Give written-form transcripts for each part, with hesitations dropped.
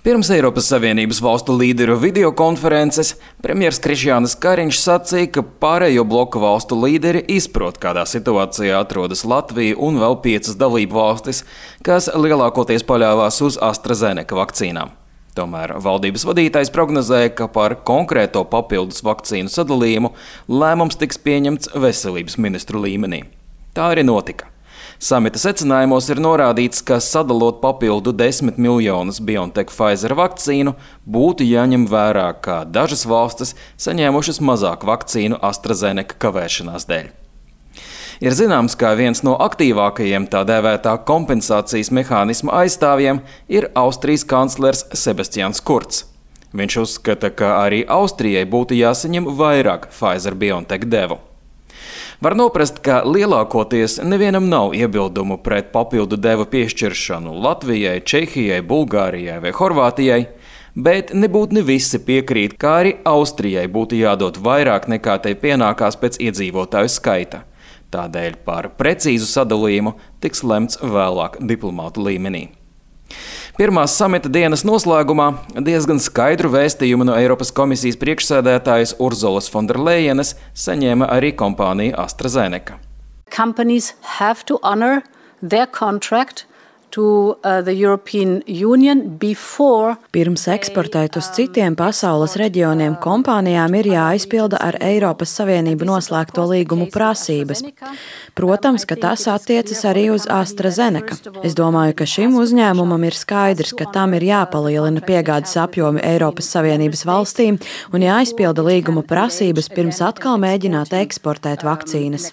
Pirms Eiropas Savienības valstu līderu videokonferences premjers Krišjānis Kariņš sacīja, ka pārējo bloka valstu līderi izprot, kādā situācijā atrodas Latvija un vēl 5 dalību valstis, kas lielākoties paļāvās uz AstraZeneca vakcīnām. Tomēr valdības vadītājs prognozēja, ka par konkrēto papildus vakcīnu sadalījumu lēmums tiks pieņemts veselības ministru līmenī. Tā arī notika. Samita secinājumos ir norādīts, ka sadalot papildu 10 miljonus BioNTech-Pfizer vakcīnu, būtu jāņem vērā, ka dažas valstis saņēmušas mazāk vakcīnu AstraZeneca kavēšanās dēļ. Ir zināms, ka viens no aktīvākajiem tā dēvētā kompensācijas mehānisma aizstāvjiem ir Austrijas kanclers Sebastians Kurz. Viņš uzskata, ka arī Austrijai būtu jāsaņem vairāk Pfizer-BioNTech devu. Var noprast, ka lielākoties nevienam nav iebildumu pret papildu devu piešķiršanu Latvijai, Čehijai, Bulgārijai vai Horvātijai, bet nebūtu ne visi piekrīt, ka arī Austrijai būtu jādod vairāk nekā tai pienākās pēc iedzīvotāju skaita. Tādēļ par precīzu sadalījumu tiks lemts vēlāk diplomātu līmenī. Pirmās samita dienas noslēgumā diezgan skaidru vēstījumu no Eiropas komisijas priekšsēdētājas Urzulas Fonderlejenes saņēma arī kompānija AstraZeneca. Companies have to honor their contract to the European Union before. Pirms eksportēt uz citiem pasaules reģioniem kompānijām ir jāizpilda ar Eiropas Savienību noslēgto līgumu prasības. Protams, ka tas attiecas arī uz AstraZeneca. Es domāju, ka šim uzņēmumam ir skaidrs, ka tam ir jāpalielina piegādes apjomi Eiropas Savienības valstīm un jāizpilda līguma prasības pirms atkal mēģināt eksportēt vakcīnas.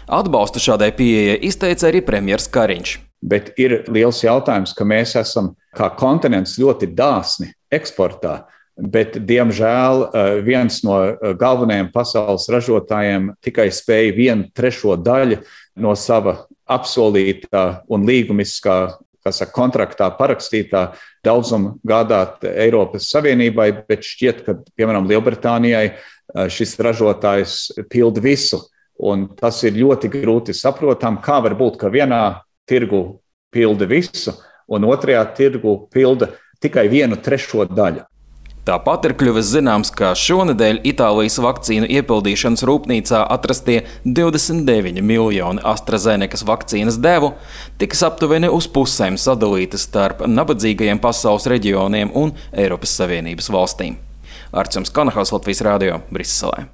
Atbalstu šādai pieejai izteica arī premjers Kariņš. Bet ir liels jautājums, ka mēs esam kā kontinents ļoti dāsni eksportā, bet, diemžēl, viens no galvenajiem pasaules ražotājiem tikai spēja 1/3 daļu no sava apsolītā un līgumiskā, kontraktā parakstītā daudzuma gādāt Eiropas Savienībai, bet šķiet, ka, piemēram, Lielbritānijai šis ražotājs pilda visu. Un tas ir ļoti grūti saprotam, kā var būt, ka vienā tirgu pilda visu, un otrajā tirgu pilda tikai 1/3 daļu. Tāpat ir kļuvis zināms, ka šonedēļ Itālijas vakcīnu iepildīšanas rūpnīcā atrastie 29 miljoni AstraZenecas vakcīnas devu tiks aptuveni uz pusēm sadalītas starp nabadzīgajiem pasaules reģioniem un Eiropas Savienības valstīm. Arčuns Kanahals, Latvijas radio, Briselē.